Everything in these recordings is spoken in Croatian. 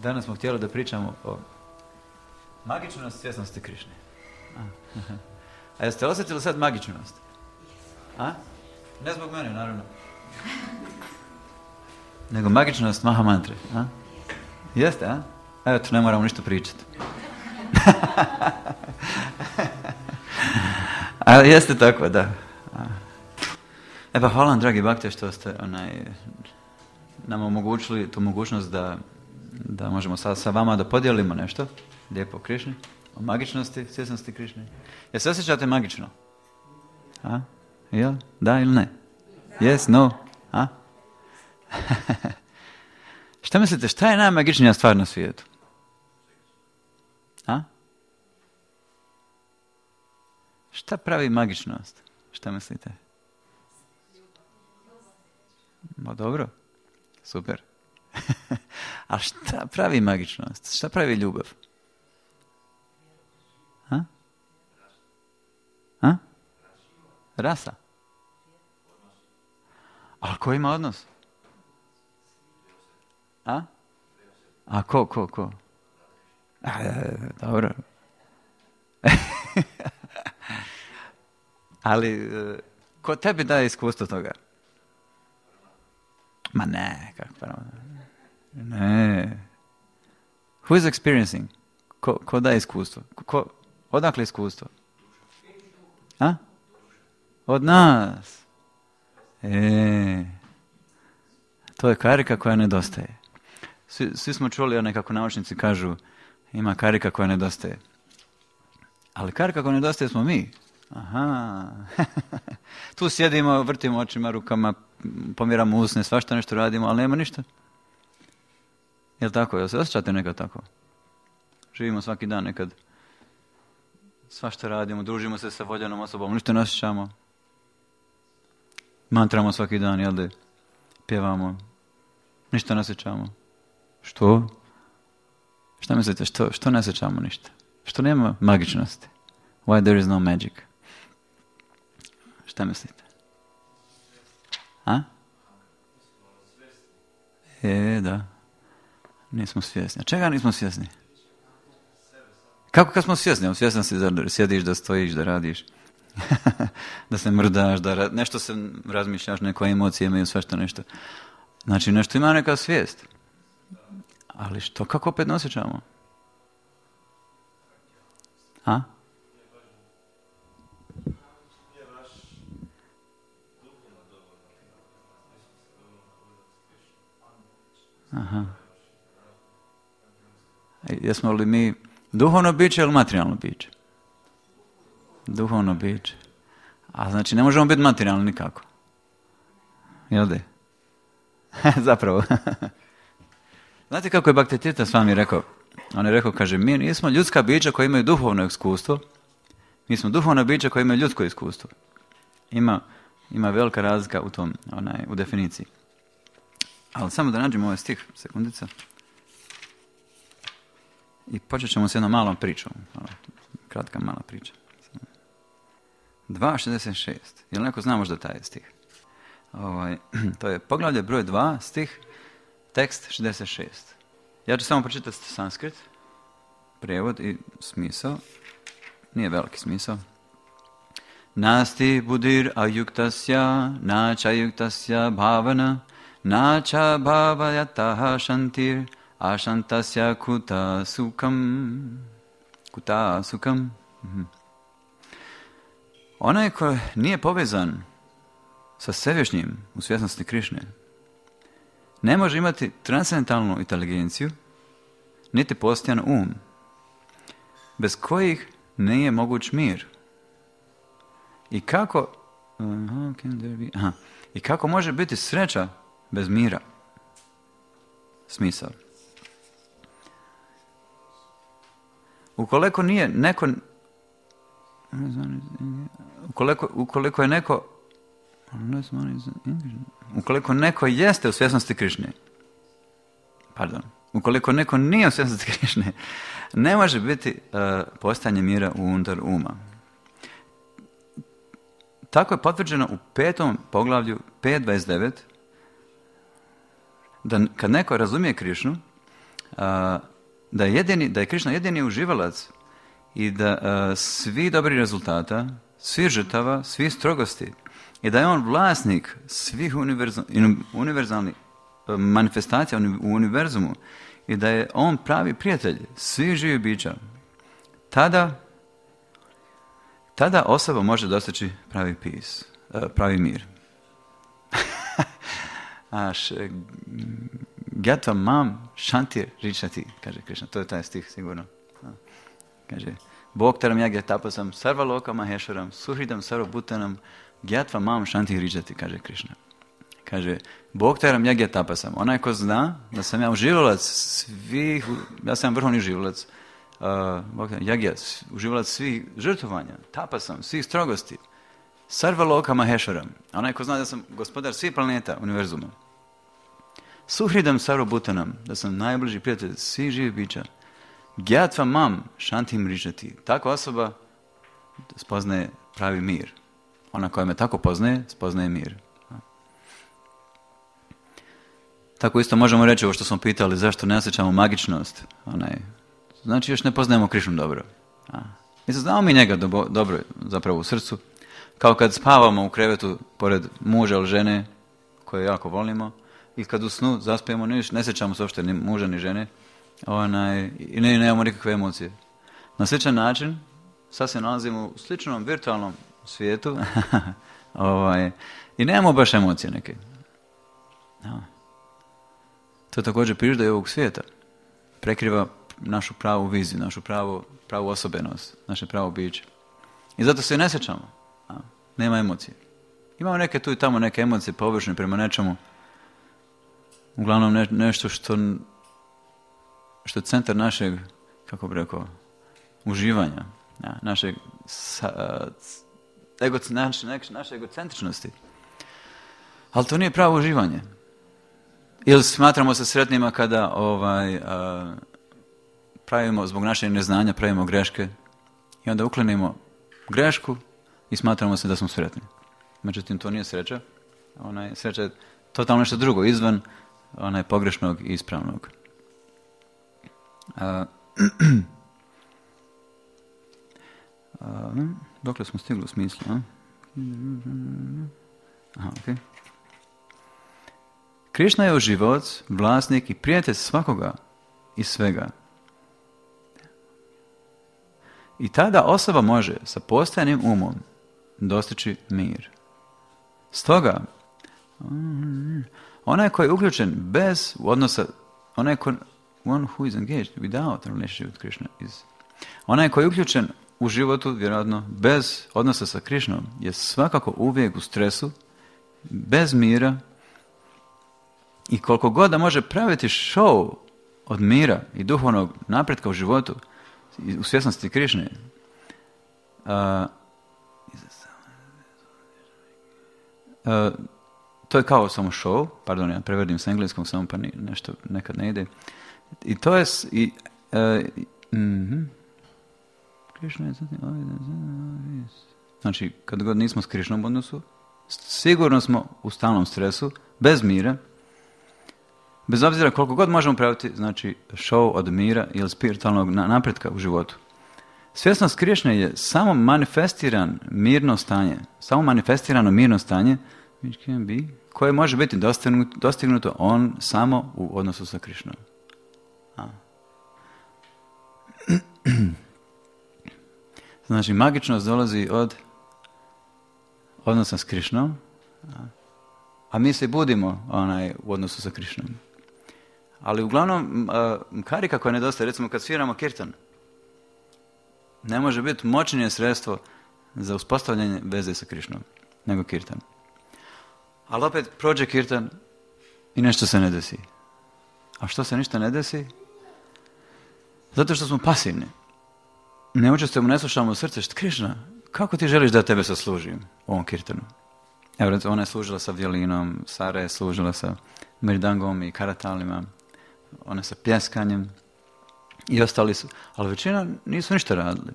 Danas smo htjeli da pričamo o magičnosti svjesnosti Krišne. A jeste osjetili sad magičnost? A? Ne zbog mene, naravno. Nego magičnost Mahamantre. A? Jeste, a? Evo, ne moramo ništa pričati. Ali jeste tako, da. E pa hvala vam, dragi bakte, što ste nam omogućili tu mogućnost da možemo sa vama da podijelimo nešto lijepo o Krišni, o magičnosti, svjesnosti Krišne. Jel se osjećate magično? A? Jel? Da ili ne? Yes, no? A? Šta mislite, šta je najmagičnija stvar na svijetu? A? Šta pravi magičnost? Šta mislite? Ma dobro, super. A šta pravi magičnost? Šta pravi ljubav? A? A? Rasa. Ali ko ima odnos? A? A ko? Dobro. Ali, ko tebi daje iskustvo toga? Ma ne, kako pravo. Ne. Who is experiencing? Ko daje iskustvo? Odakle iskustvo? A? Od nas. To je karika koja nedostaje. Svi smo čuli, kako naučnici kažu, ima karika koja nedostaje. Ali karika koja nedostaje smo mi. Aha. Tu sjedimo, vrtimo očima, rukama, pomiramo usne, svašta nešto radimo, ali nema ništa. Jel tako? Jel se osjećate nekad tako? Živimo svaki dan nekad. Svašta radimo, družimo se sa voljenom osobom, ništa ne osjećamo. Mantramo svaki dan, jel da? Pjevamo. Ništa ne osjećamo. Što? Šta mislite? Što ne osjećamo ništa? Što nema magičnosti? Why there is no magic? Šta mislite? A? Da. Nismo svjesni. A čega nismo svjesni? Kako kad smo svjesni? Svjesni si da sjediš, da stojiš, da radiš. Da se mrdaš, da nešto se razmišljaš, neko emocije imaju, sve što nešto. Znači nešto ima neka svijest. Ali što, kako opet ne osjećamo? A? Aha. Jesmo li mi duhovno biće ili materijalno biće? Duhovno biće. A znači ne možemo biti materijalni nikako. Jel de? Zapravo. Znate kako je Bhaktivedanta s vami rekao? On je rekao, kaže, mi nismo ljudska bića koja imaju duhovno iskustvo, mi smo duhovna bića koja imaju ljudsko iskustvo. Ima velika razlika u tom, u definiciji. Ali samo da nađemo ovaj stih, sekundica. I počet ćemo s jednom malom pričom. Kratka mala priča. 2.66. Jel neko zna možda taj stih? To je poglavlje broj 2, stih, tekst 66. Ja ću samo pročitati sanskrit, prijevod i smisao. Nije veliki smisao. Nasti budir ayuktasya, nacha ayuktasya bhavana, nacha bhavayataha shantir, ashantasya kuta sukam. Kuta sukam. Onaj ko nije povezan sa svevišnjim u svjesnosti Krišne, ne može imati transcendentalnu inteligenciju, niti postojan um, bez kojih nije moguć mir. I kako može biti sreća bez mira? Smisao. Ukoliko neko jeste u svjesnosti Krišne, ukoliko neko nije u svjesnosti Krišne, ne može biti postojanje mira unutar uma. Tako je potvrđeno u 5. poglavlju 5.29, da kad neko razumije Krišnu, da je Krišna jedini uživalac i da svi dobri rezultata, svi žrtava, svi strogosti i da je on vlasnik svih univerzalnih manifestacija u univerzumu i da je on pravi prijatelj svih živih bića, tada osoba može dostići pravi mir. Gyatva mam shantir richati, kaže Krišna. To je taj stih sigurno. Kaže, Bhoktaram yagya tapasam sarva loka mahesharam suhridam sarva bhutanam gyatva mam shantir richati, kaže Krišna. Kaže, Bhoktaram yagya tapasam. Onaj ko zna da sam ja uživalac svih, ja sam vrhovni uživalac, yagya, uživalac svih žrtvovanja, tapasam, svih strogosti, sarva loka mahesharam. Onaj ko zna da sam gospodar svih planeta univerzuma. Suhridam sarva bhutanam, da sam najbliži prijatelj svih živih bića. Gyatva mam shantim richati. Takva osoba spoznaje pravi mir. Ona koja me tako poznaje, spoznaje mir. Tako isto možemo reći ovo što smo pitali, zašto ne osjećamo magičnost. Znači još ne poznajemo Krišnu dobro. Mislim, znamo mi njega dobro zapravo u srcu. Kao kad spavamo u krevetu pored muža ili žene koje jako volimo i kad u snu zaspijemo, ne sjećamo se uopšte ni muža ni žene i nemamo nikakve emocije. Na sličan način sad se nalazimo u sličnom virtualnom svijetu i nemamo baš emocije neke. To također priroda i ovog svijeta. Prekriva našu pravu viziju, našu pravu osobenost, naše pravo biće. I zato se ne sjećamo. Nema emocije. Imamo neke tu i tamo neke emocije površne prema nečemu. Uglavnom nešto što je centar našeg, kako bi rekao, uživanja, naše egocentričnosti. Ali to nije pravo uživanje. Ili smatramo se sretnima kada pravimo, zbog našeg neznanja, pravimo greške i onda uklinimo grešku i smatramo se da smo sretni. Međutim, to nije sreća. Sreća je totalno nešto drugo, izvan pogrešnog i ispravnog. Dokle smo stigli u smislu? Okay. Krišna je uživalac, vlasnik i prijatelj svakoga i svega. I tada osoba može sa postojanim umom dostići mir. Stoga, onaj koji je uključen bez odnosa, one who is engaged without a relationship with Krishna is. Onaj koji je uključen u životu, vjerojatno, bez odnosa sa Krišnom, je svakako uvijek u stresu, bez mira i koliko god da može praviti show od mira i duhovnog napretka u životu, u svjesnosti Krišne, to je kao samo show, pardon, ja prevedim s engleskog, samo pa nešto nekad ne ide. I to je Krišna je znači, kad god nismo s Krišnom u odnosu, sigurno smo u stalnom stresu, bez mira, bez obzira koliko god možemo praviti, znači, show od mira ili spiritualnog napretka u životu. Svjesnost Krišne je samo manifestirano mirno stanje, koje može biti dostignuto on samo u odnosu sa Krišnom. Znači, magičnost dolazi od odnosa s Krišnom, a mi se budimo u odnosu sa Krišnom. Ali uglavnom, karika koja nedostaje, recimo kad sviramo kirtan, ne može biti moćnije sredstvo za uspostavljanje veze sa Krišnom, nego kirtan. Ali opet prođe kirtan i nešto se ne desi. A što se ništa ne desi? Zato što smo pasivni. Ne učestvujemo, ne slušamo u srce. Krišna, kako ti želiš da tebe saslužim u ovom kirtanu? Evo, ona je služila sa violinom, Sara je služila sa mirdangom i karatalima, ona sa pljeskanjem i ostali su. Ali većina nisu ništa radili.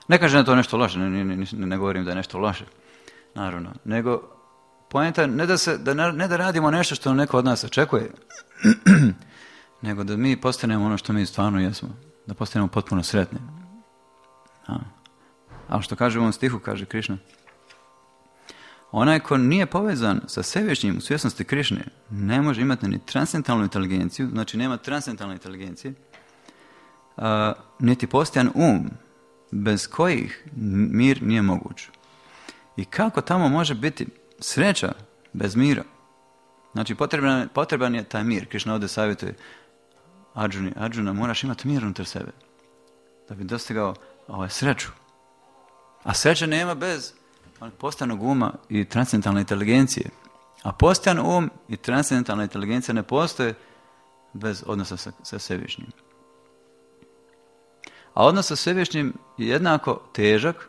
Ne kažem da je to nešto loše, ne govorim da je nešto loše, naravno. Nego, poenta je ne da radimo nešto što neko od nas očekuje, nego da mi postanemo ono što mi stvarno jesmo, da postanemo potpuno sretni. Ali što kaže u ovom stihu, kaže Krišna, onaj ko nije povezan sa svevišnjim u svjesnosti Krišne, ne može imati ni transcendentalnu inteligenciju, znači nema transcendentalne inteligencije, niti postojan bez kojih mir nije moguć. I kako tamo može biti sreća bez mira? Znači potreban je taj mir. Krišna ovdje savjetuje Arjuna, moraš imati mir unutar sebe da bi dostigao sreću. A sreće nema bez postojanog uma i transcendentalne inteligencije. A postojan i transcendentalna inteligencija ne postoje bez odnosa sa svevišnjim. A odnos sa svevišnjim je jednako težak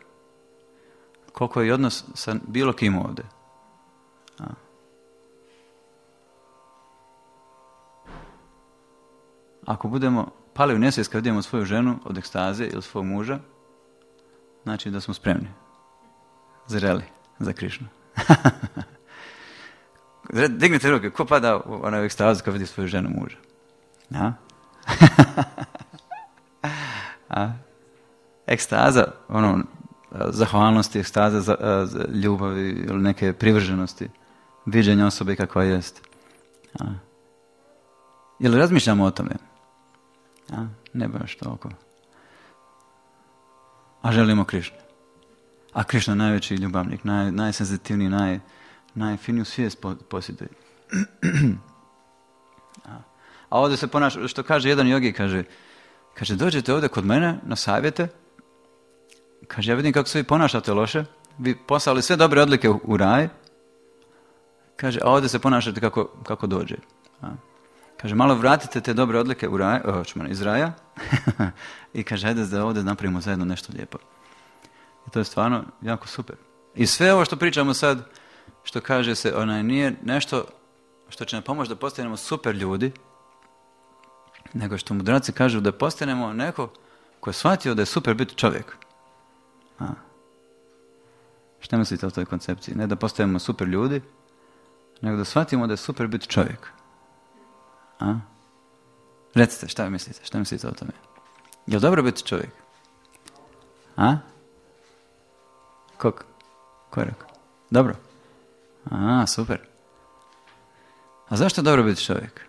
koliko je odnos sa bilo kim ovdje. Ako budemo pali u nesvijest kad vidimo svoju ženu od ekstaze ili svog muža, znači da smo spremni, zreli za Krišnu. Dignite ruke, ko pada u ekstazu kad vidi svoju ženu muža? Ekstaza, zahvalnosti, ekstaza za ljubavi ili neke privrženosti, viđenja osobe kakva jest. Jel razmišljamo o tome? Ne baš toliko. A želimo Krišnu. A Krišna je najveći ljubavnik, najsenzitivniji, najfiniju svijest posjeduje. A ovdje se ponaša, što kaže jedan jogi, kaže, dođete ovdje kod mene na savjete, kaže, ja vidim kako se vi ponašate loše, vi poslali sve dobre odlike u raj, kaže, a ovdje se ponašate kako dođe. Kaže, malo vratite te dobre odlike iz raja i kaže, ajde da ovdje napravimo zajedno nešto lijepo. I to je stvarno jako super. I sve ovo što pričamo sad, što kaže se, nije nešto što će nam pomoći da postanemo super ljudi, nego što mudraci kažu da postanemo neko ko je shvatio da je super biti čovjek. Šta mislite o toj koncepciji? Ne da postanemo super ljudi, nego da shvatimo da je super biti čovjek. Recite, šta mislite? Šta mislite o tome? Je li dobro biti čovjek? Ko je rekao? Dobro. Super. A zašto je dobro biti čovjek?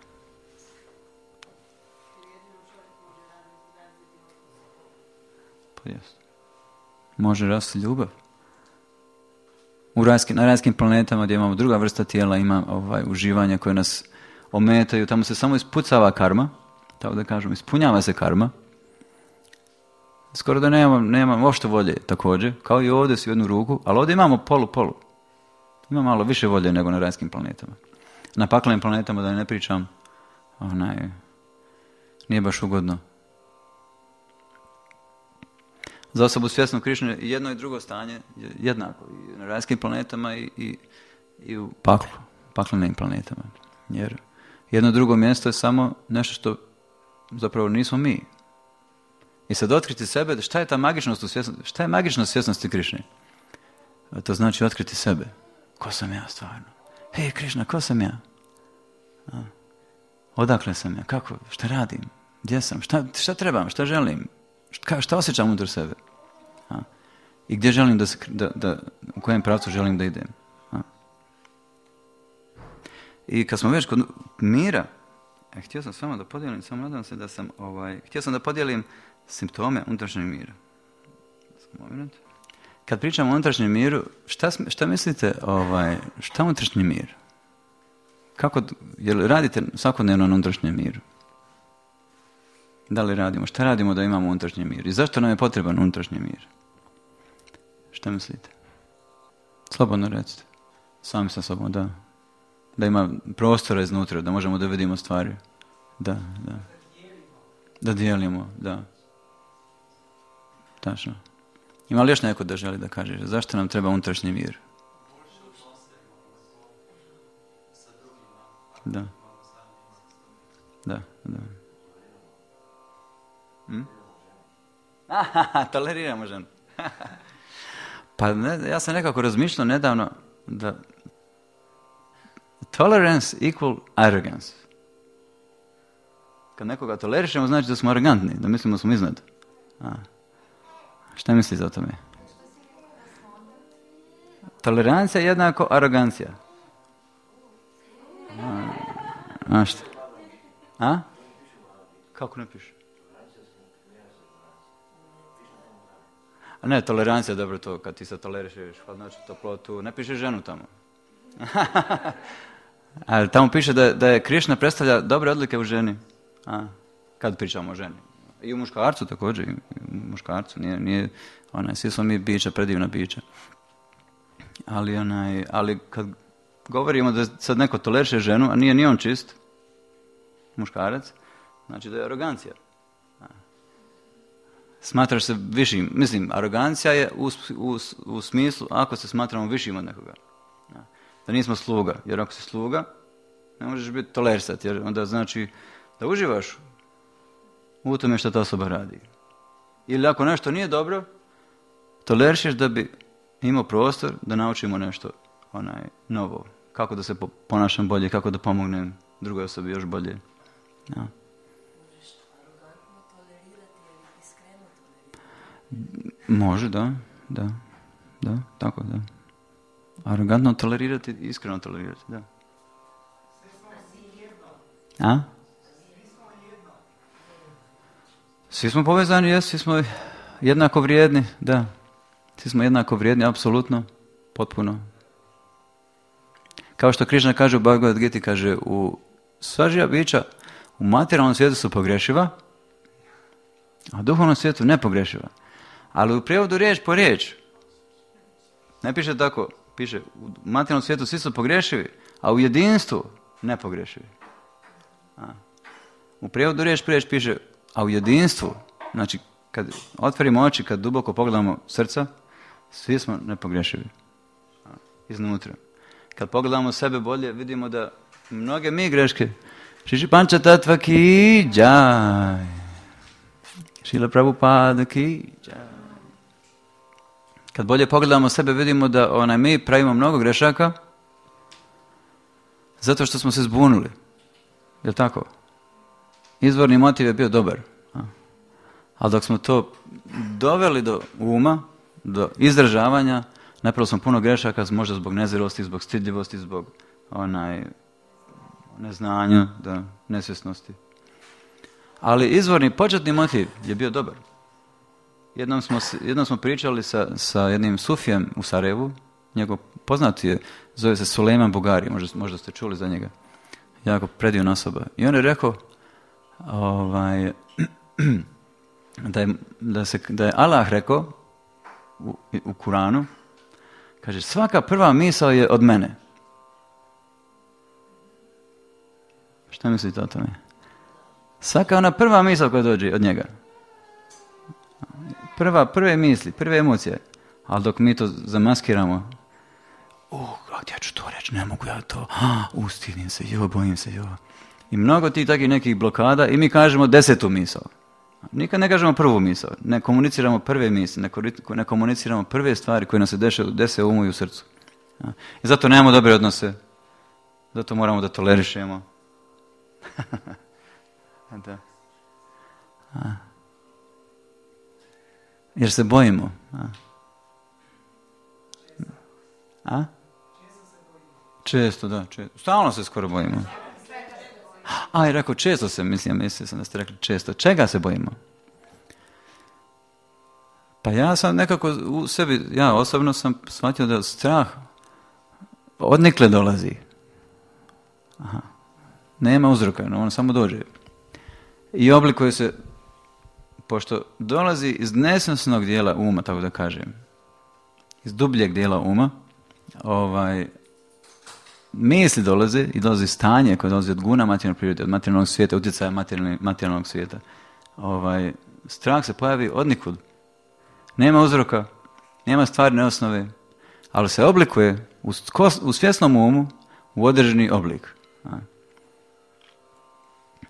Pa jest. Može rasti ljubav. Na rajskim planetama gdje imamo druga vrsta tijela, ima uživanja koje nas ometaju, tamo se samo ispucava karma, tako da kažem, ispunjava se karma. Skoro da nemam uopšte volje također, kao i ovdje s jednu ruku, ali ovdje imamo polu. Ima malo više volje nego na rajskim planetama. Na paklenim planetama, da ne pričam, nije baš ugodno. Za osobu svjesnu Krišne jedno i drugo stanje je jednako i na rajskim planetama i u paklenim planetama. Jer jedno drugo mjesto je samo nešto što zapravo nismo mi. I sad otkriti sebe, šta je ta magičnost u svjesnosti? Šta je magičnost svjesnosti Krišne? To znači otkriti sebe. Ko sam ja stvarno? Hej Krišna, ko sam ja? Odakle sam ja? Kako? Šta radim? Gdje sam? Šta trebam? Šta želim? Šta osjećam unutar sebe? I gdje želim u kojem pravcu želim da idem? I kad smo već kod mira, htio sam s vama da podijelim, samo nadam se da sam, htio sam da podijelim simptome unutrašnjeg mira. Kad pričamo o unutrašnjem miru, šta mislite, šta je unutrašnji mir? Jel radite svakodnevno na unutrašnjem miru? Da li radimo? Šta radimo da imamo unutrašnji mir? I zašto nam je potreban unutrašnji mir? Šta mislite? Slobodno recite. Sami sa sobom, da. Da ima prostora iznutra, da možemo da vidimo stvari. Da. Da dijelimo, da. Tačno. Ima li još neko da želi da kaže? Zašto nam treba unutrašnji mir? Da. Toleriramo ženu. Pa ja sam nekako razmišljao nedavno da tolerance equal arrogance. Kad nekoga tolerišemo, znači da smo arogantni, da mislimo da smo iznad. Šta mislite o tome? Tolerancija je jednako arogancija. Šta? Kako ne piše? A ne, tolerancija je dobro to, kad ti se tolerišeš, znači toplotu, ne piše ženu tamo. Ali tamo piše da je Krišna predstavlja dobre odlike u ženi. Kad pričamo o ženi. I u muškarcu također, i u muškarcu, nije svi smo mi bića, predivna bića. Ali kad govorimo da sad neko toleriše ženu, a nije ni on čist, muškarac, znači da je arogancija. Smatraš se višim, mislim, arogancija je u smislu ako se smatramo višim od nekoga. Da nismo sluga, jer ako si sluga, ne možeš biti tolerisat, jer onda znači da uživaš u tome što ta osoba radi. Ili ako nešto nije dobro, tolerišeš da bi imao prostor da naučimo nešto novo. Kako da se ponašam bolje, kako da pomognem drugoj osobi još bolje. Ja. Može, da, tako da. Arogantno tolerirati, iskreno tolerirati, da. Svi smo povezani, svi smo jednako vrijedni, da. Svi smo jednako vrijedni, apsolutno, potpuno. Kao što Krišna kaže u Bhagavad Gita, kaže, sva živa bića u materijalnom svijetu su pogrešiva, a u duhovnom svijetu nepogrešiva. Ali u prijevodu riječ po riječ, ne piše tako, piše u materijalnom svijetu svi su pogrešivi, a u jedinstvu nepogrešivi. U prijevodu riječ po riječ piše, a u jedinstvu, znači kad otvorimo oči, kad duboko pogledamo srca, svi smo nepogrešivi. Iznutra. Kad pogledamo sebe bolje, vidimo da mnoge mi greške, Šiši Panča Tatva ki džaj, Šila Prabhupada ki džaj. Kad bolje pogledamo sebe, vidimo da mi pravimo mnogo grešaka zato što smo se zbunili. Je li tako? Izvorni motiv je bio dobar. Ali dok smo to doveli do uma, do izražavanja, napravili smo puno grešaka, možda zbog nezrelosti, zbog stidljivosti, zbog neznanja, nesvjesnosti. Ali izvorni, početni motiv je bio dobar. Jednom smo pričali sa jednim sufijem u Sarajevu, njegov poznati je, zove se Sulejman Bugari, možda ste čuli za njega. Jako predivna osoba. I on je rekao da je Allah rekao u Kuranu, kaže, svaka prva misao je od mene. Šta mislite o tome? Svaka ona prva misao koja dođe od njega. Prve misli, prve emocije. Ali dok mi to zamaskiramo, gdje ću to reći, ne mogu ja to, stidim se, bojim se, I mnogo tih takvih nekih blokada i mi kažemo 10. misao. Nikad ne kažemo prvu misao, ne komuniciramo prve misli, ne komuniciramo prve stvari koje nam se dese u umu i u srcu. I zato nemamo dobre odnose, zato moramo da tolerišemo. Da. Jer se bojimo. Često, da. Stalno se skoro bojimo. I rekao, često se, mislio sam da ste rekli često. Čega se bojimo? Pa ja sam nekako u sebi, ja osobno sam shvatio da strah odnikle dolazi. Nema uzroka, on samo dođe. I oblikuje se, pošto dolazi iz nesvjesnog dijela uma, tako da kažem, iz dubljeg dijela uma, misli dolaze i dolazi stanje koje dolazi od guna materijalne prirode, od materijalnog svijeta, utjecaja materijalnog svijeta. Strah se pojavi odnikud. Nema uzroka, nema stvarne osnove, ali se oblikuje u svjesnom umu u određeni oblik.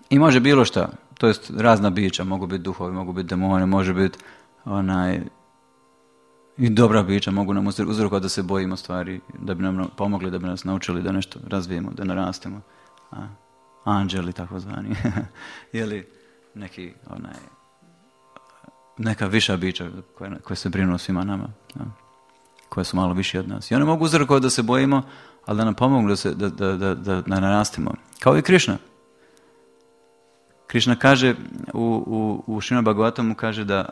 I može bilo šta, to jest razna bića, mogu biti duhovi, mogu biti demoni, može biti i dobra bića, mogu nam uzrokovati da se bojimo stvari, da bi nam pomogli, da bi nas naučili da nešto razvijemo, da narastemo. anđeli takozvani, ili neka viša bića koje se brinu o svima nama, koje su malo više od nas. I oni mogu uzrokovati da se bojimo, ali da nam pomognu da narastemo. Kao i Krišna. Krišna kaže u Srimad Bhagavatamu kaže da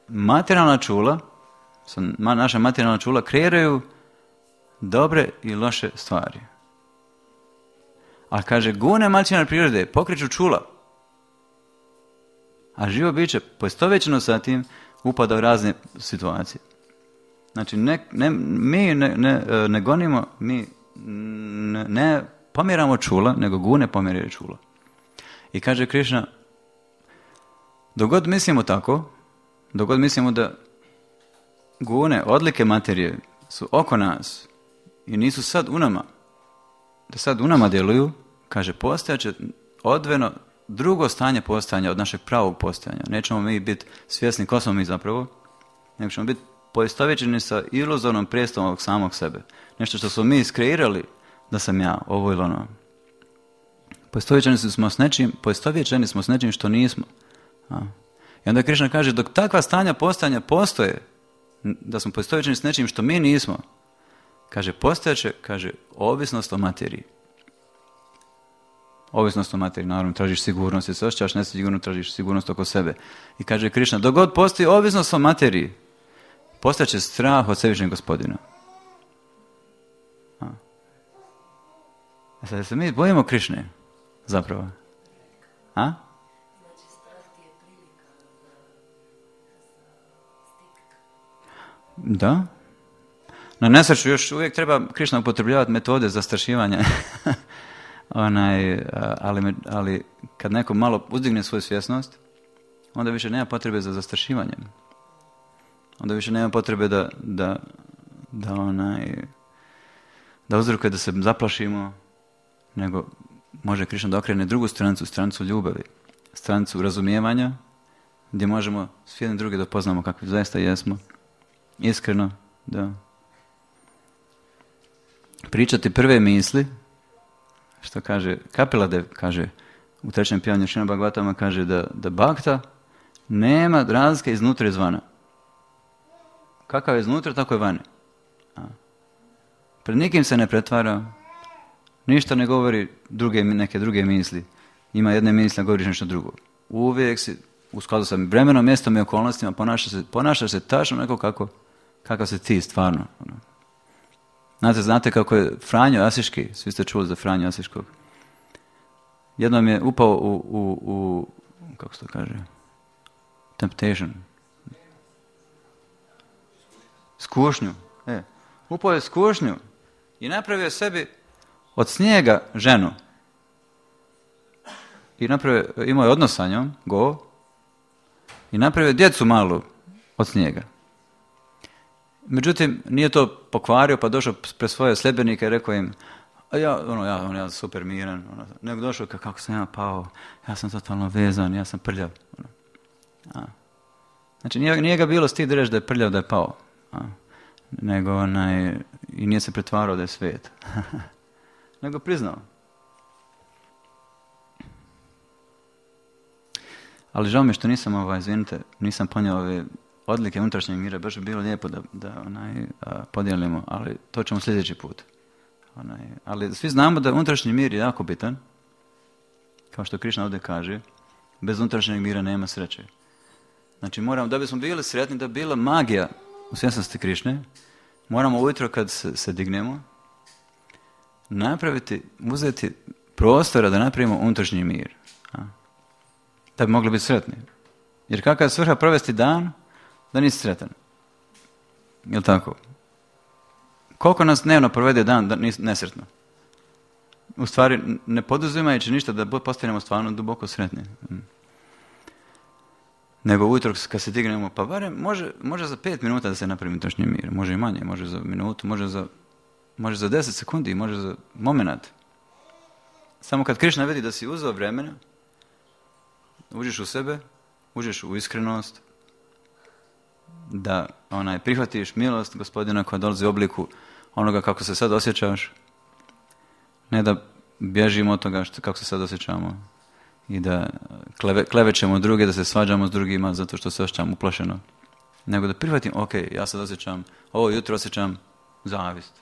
materijalna čula, naša materijalna čula kreiraju dobre i loše stvari. A kaže, gune materijalne prirode pokreću čula. A živo biće poistovjećeno sa tim upada u razne situacije. Znači, mi ne gonimo, mi ne pomjeramo čula, nego gune pomjeraju čula. I kaže Krišna, dok god mislimo tako, dok god mislimo da gune, odlike materije su oko nas i nisu sad u nama, da sad u nama djeluju, kaže, postojaće odvojeno drugo stanje postojanja od našeg pravog postojanja. Nećemo mi biti svjesni ko smo mi zapravo, nego ćemo biti poistovjećeni sa iluzornom predstavom ovog samog sebe. Nešto što smo mi iskreirali da sam ja, ovo ili ono. Poistovjećeni smo s nečim što nismo. I onda Krišna kaže, dok takva stanja postojanja postoje, da smo poistovjećeni s nečim što mi nismo, kaže, postojaće, kaže, ovisnost o materiji. Ovisnost o materiji, naravno, tražiš sigurnost, jer se osjećaš nesigurno, tražiš sigurnost oko sebe. I kaže Krišna, dok god postoji ovisnost o materiji, postaće strah od svevišnjeg Gospodina. Sad se mi bojimo Krišne, zapravo. A? Da. Na nesreću još uvijek treba Krišna upotrebljavati metode zastrašivanja. Ali kad neko malo uzdigne svoju svjesnost, onda više nema potrebe za zastrašivanjem. Onda više nema potrebe da uzrokuje da se zaplašimo, nego može Krišna da okrene drugu stranicu ljubavi, stranicu razumijevanja, gdje možemo s jednim drugi da poznamo kakvi zaista jesmo, iskreno, da pričati prve misli, što kaže Kapila kaže u trećem pijanju Srimad Bhagavatama, kaže da bhakta nema razlike iznutra i izvana. Kakav je iznutra, tako je vani. Pred nikim se ne pretvara, ništa ne govori neke druge misli. Ima jedne misli, a govoriš nešto drugo. Uvijek si u skladu sa vremenom, mjestom i okolnostima ponašaš se tačno neko kakav se ti stvarno. Znate kako je Franjo Asiški, svi ste čuli za Franjo Asiškog. Jednom je upao u kako se to kaže, temptation. Skušnju. Upao je skušnju i napravio sebi od snijega ženu. I imao je odnos sa njom, i napravio djecu malu od snijega. Međutim, nije to pokvario, pa došao pred svoje sljedbenike i rekao im, ja super miran, nego došao kako sam ja pao, ja sam totalno vezan, ja sam prljav. Znači, nije ga bilo stid reći da je prljav, da je pao. Nego i nije se pretvarao da je svet. Nego priznao. Ali žao mi što nisam ponio ove odlike unutrašnjeg mira, baš bi bilo lijepo da podijelimo, ali to ćemo sljedeći put. Ali svi znamo da unutrašnji mir je jako bitan, kao što Krišna ovdje kaže, bez unutrašnjeg mira nema sreće. Znači da bismo bili sretni, da bi bila magija u svjesnosti Krišne, moramo ujutro kad se dignemo, uzeti prostora da napravimo unutrašnji mir. Da bi mogli biti sretni. Jer kakva je svrha provesti dan, da nisi sretan. Je li tako? Koliko nas dnevno provede dan da nisi nesretno? U stvari, ne poduzimajući ništa da postanemo stvarno duboko sretni. Nego ujutro kad se dignemo, pa barem može za 5 minuta da se napravi unutrašnji mir. Može i manje, može za minutu, može za 10 sekundi, može za moment. Samo kad Krišna vidi da si uzeo vremena, uđeš u sebe, uđeš u iskrenost, da prihvatiš milost Gospodina koja dolazi u obliku onoga kako se sad osjećaš, ne da bježimo od toga kako se sad osjećamo i da klevećemo druge, da se svađamo s drugima zato što se osjećam uplašeno. Nego da prihvatim, ok, ja sad osjećam, ovo jutro osjećam zavist.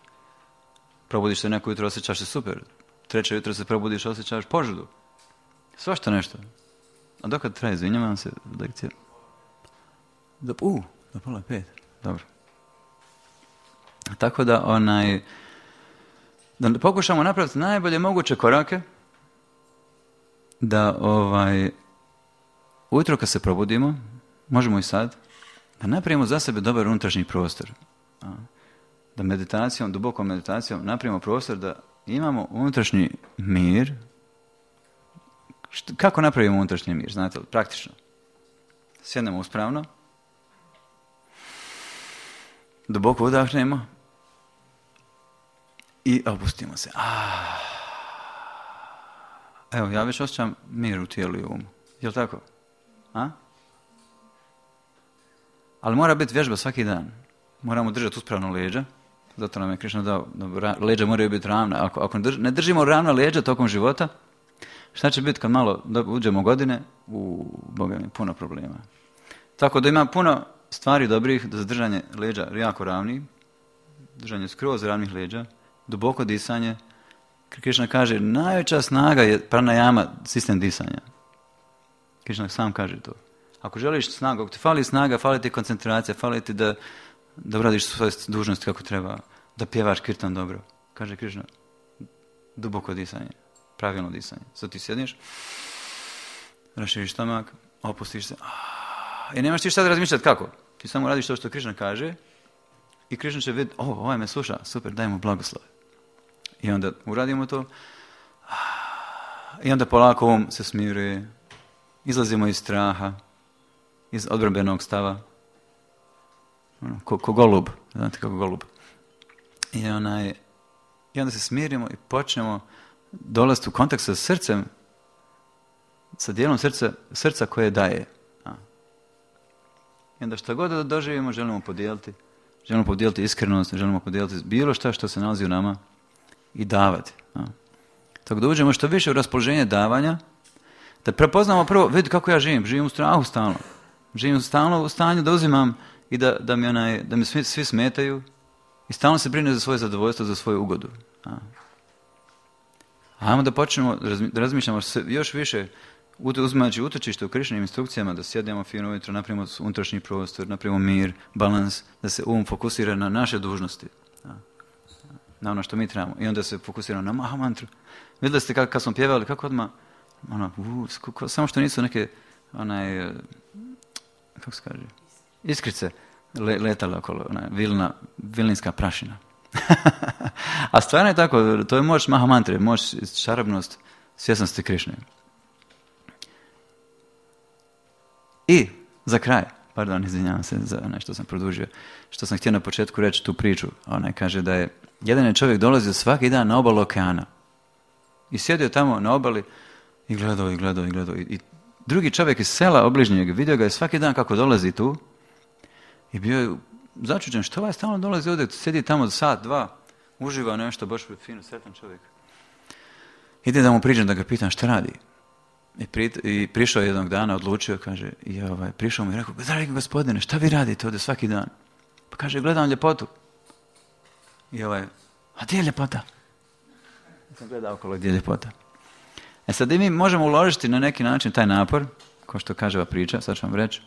Probudiš se neko jutro, osjećaš se super. Treće jutro se probudiš, osjećaš požudu. Svašta nešto. A dokad traje, izvinjavam se, lekcija? Do 4:30. Dobro. Tako da da pokušamo napraviti najbolje moguće korake da ujutro kad se probudimo, možemo i sad, da napravimo za sebe dobar unutrašnji prostor. Da meditacijom, dubokom meditacijom napravimo prostor da imamo unutrašnji mir. Kako napravimo unutrašnji mir? Znate li? Praktično. Sjednemo uspravno, duboko udahnemo i opustimo se. Evo, ja već osjećam mir u tijelu i umu. Jel' tako? Ali mora biti vježba svaki dan. Moramo držati uspravno leđa. Zato nam je Krišna dao, leđa moraju biti ravna. Ako ne držimo ravna leđa tokom života, šta će biti kad malo uđemo godine? Boga mi, puno problema. Tako da ima puno stvari dobrih za držanje leđa jako ravnih, držanje skroz ravnih leđa, duboko disanje. Krišna kaže, najveća snaga je pranajama, sistem disanja. Krišna sam kaže to. Ako želiš snagu, ako ti fali snaga, fali ti koncentracija, fali ti da uradiš svoje dužnosti kako treba, da pjevaš kirtan dobro. Kaže Krišna, duboko disanje, pravilno disanje. Sad ti sjediš, raširiš stomak, opustiš se. I nemaš ti šta da razmišljati kako. Ti samo radiš to što Krišna kaže i Krišna će vidjeti, ovaj me sluša, super, daj mu blagoslov. I onda uradimo to i onda polako se smiruje, izlazimo iz straha, iz odbrambenog stava, ko golub, znate kako golub. I onda se smirimo i počnemo dolaziti u kontakt sa srcem, sa dijelom srca koje daje. I onda što god da doživimo, želimo podijeliti iskrenost, želimo podijeliti bilo što se nalazi u nama i davati. Tako da uđemo što više u raspoloženje davanja, da prepoznamo prvo, vidi kako ja živim u strahu stalno. Živim stalno u stanju da uzimam i da mi svi smetaju i stalno se brine za svoje zadovoljstvo, za svoju ugodu. Ajmo da počnemo da razmišljamo još više, uzimajući utočište u Krišnim instrukcijama, da sjednemo fino ujutro, napravimo unutrašnji prostor, napravimo mir, balans, da se fokusira na naše dužnosti, na ono što mi trebamo. I onda se fokusiramo na Maha mantru. Vidjeli ste kad smo pjevali, kako odmah, samo što nisu neke, kako se kaže, iskrice letale okolo, vilninska prašina. A stvarno je tako, to je moć Maha mantre, moć, čarobnost, svjesnosti Krišne. I za kraj, izvinjavam se za nešto sam produžio, što sam htio na početku reći tu priču. Ona kaže da je jedan čovjek dolazio svaki dan na obalu okeana i sjedio tamo na obali i gledao. I drugi čovjek iz sela obližnjeg vidio ga je svaki dan kako dolazi tu i bio je začuđen, što ovaj stalno dolazi ovdje, sjedi tamo za sat, dva, uživa nešto, baš fino, sretan čovjek. Ide da mu priđem da ga pitam šta radi. I prišao jednog dana, odlučio, kaže, prišao mu i rekao, dragi gospodine, šta vi radite ovdje svaki dan? Pa kaže, gledam ljepotu. I a gdje je ljepota? Ja sam gledao okolo gdje je ljepota. Sad i mi možemo uložiti na neki način taj napor, kao što kaže ova priča, sad ću vam reći.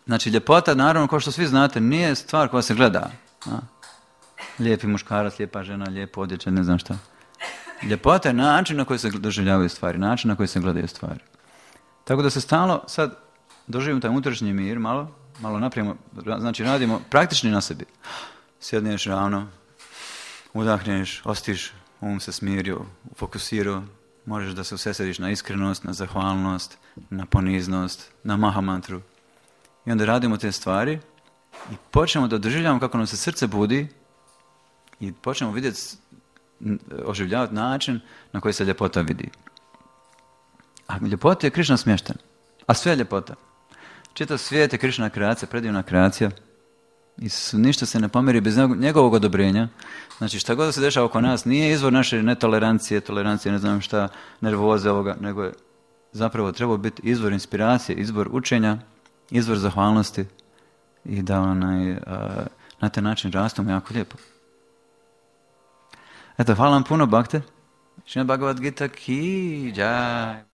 Znači, ljepota, naravno, kao što svi znate, nije stvar koja se gleda. Lijepi muškarac, lijepa žena, lijepo odjeća, ne znam šta. Ljepota je način na koji se doživljavaju stvari, način na koji se gledaju stvari. Tako da se stalno sad doživimo taj unutrašnji mir, malo napravimo, znači radimo praktični na sebi. Sjedneš ravno, udahneš, ostiš, se smirio, fokusirao, možeš da se usesediš na iskrenost, na zahvalnost, na poniznost, na Maha mantru. I onda radimo te stvari i počnemo da doživljavamo kako nam se srce budi i počnemo vidjeti, oživljavati način na koji se ljepota vidi. A ljepota je Krišna smješten. A sve je ljepota. Čitav svijet je Krišna kreacija, predivna kreacija. I ništa se ne pomeri bez njegovog odobrenja. Znači šta god se dešava oko nas nije izvor naše netolerancije, tolerancije, ne znam šta, nervoze ovoga, nego je zapravo trebao biti izvor inspiracije, izvor učenja, izvor zahvalnosti i da na taj način rastemo jako lijepo. Eto, hvala vam puno, Bhakte. Šrimad Bhagavad Gita ki jai.